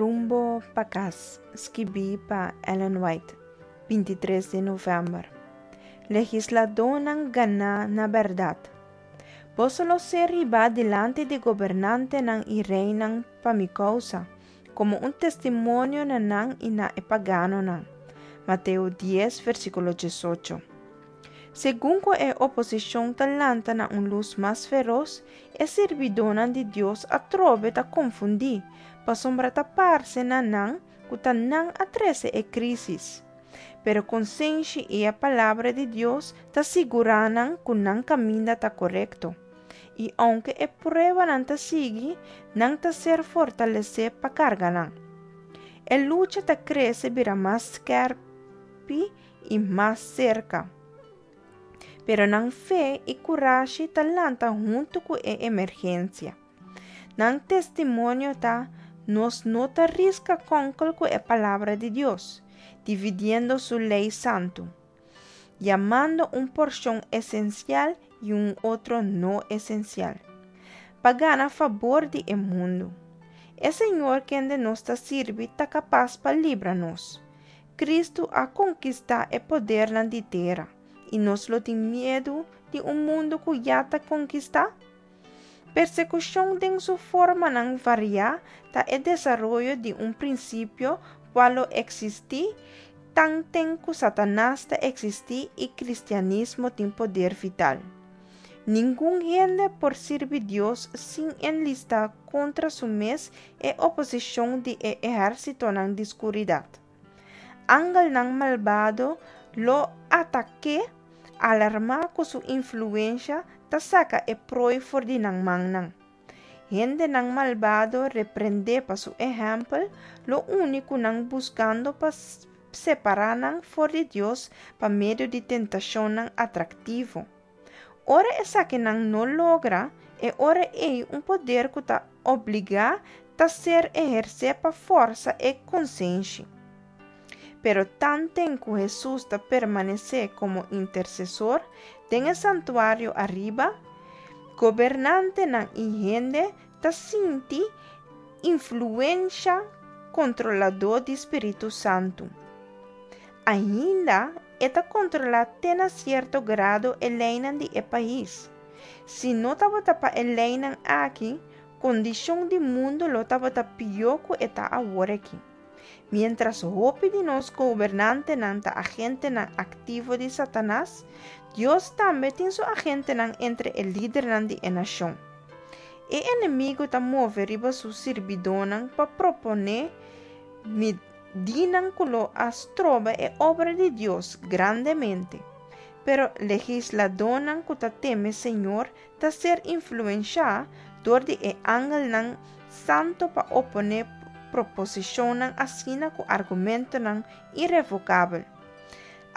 Rumbo pa Kas, skibí pa Ellen White, 23 di novèmber. Legisladónan ganá na bèrdat. Boso lo ser hibá dilanti di gobernantenan i reinan pa mi kousa, komo un testimonio na nan i na e paganonan. Mateo 10, versíkulo 18. Segun ku e oposishon ta lanta na un lus mas feros, e sirbidónan di Dios atrobe ta konfundí, pasobra ta parse na nan ku ta nan a trese e krísis. Pero konsenshi i e Palabra di Dios ta sigurá nan ku nan kaminda ta korekto. I ounke e pruebanan ta sigui, nan ta ser fortalesé pa karga nan. E lucha ta krese bira mas skèrpi i mas serka. Pero nan fe i kurashi ta lanta huntu ku e emergensia. Nan testimonio ta, Nos no ta riska kònkel ku e Palabra di Dios, dividiendo su lei santu, yamando un porshon esensial i un otro no esensial, pa gana fabor di e mundu. E Señor kende nos ta sirbi ta kapas pa libra nos. Kristu a konkistá e podernan di tera, i nos lo tin miedu di un mundu ku ya ta konkistá? Persekushon den su formanan variá ta e desaroyo di un prinsipio kua lo eksistí tanten ku Satanas ta eksistí i kristianismo tin poder vital. Ningun hende por sirbi Dios sin enlistá kontra su mes e oposishon di e ehérsitonan di skuridat. Angelnan malbado lo atak'é, alarmá ku su influensha ta saka e prooi for di nan mannan. Hendenan malbado reprendé pa su ehèmpel lo uni ku nan buskando pa separá nan for di Dios pa medio di tentashonnan atraktivo. Ora esakinan no logra, e ora ei un poder ku ta obligá ta ser ehersé pa forsa e konsenshi. Pero tanten ku Hesus ta permanesé komo intersesor den e santuario ariba, gobernantenan i hende ta sinti influensha kontroladó di spiritu santu. Ainda e ta kontrolá te na sierto grado e leinan di e pais. Si no tabata pa e leinan aki, kondishon di mundu lo tabata pió ku e ta awor aki. Miéntras hopi di nos gobernantenan ta agentenan aktivo di Satanas, Dios tambe tin su agentenan entre e lidernan di e nashon. E enemigu ta move riba su sirbidónan pa proponé Dinan ku lo a stroba e obra di Dios grandemente. Pero legisladónan ku ta teme Señor ta ser influenshá dor di e angelnan santu pa oponé proposishonnan asina ku argumentonan irevokabel.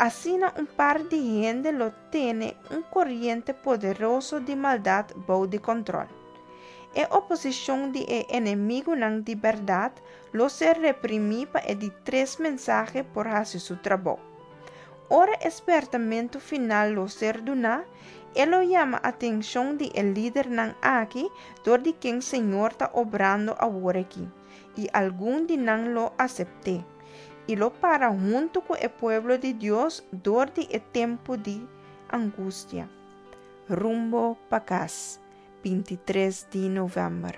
Asina un par di hende lo tene un koriente poderoso di maldat bou di kòntròl. E oposishon di e enemigunan di bèrdat lo ser reprimí pa e di tres mensahe por hasi su trabou. Ora e spèrtamentu final lo ser duná, e lo yama atenshon di e lidernan aki dor di ken Señor ta obrando awor aki, i algun di nan lo asept'é, i lo para huntu ku e pueblo di Dios dor di e tempu di angustia. Rumbo pa kas, 23 di novèmber.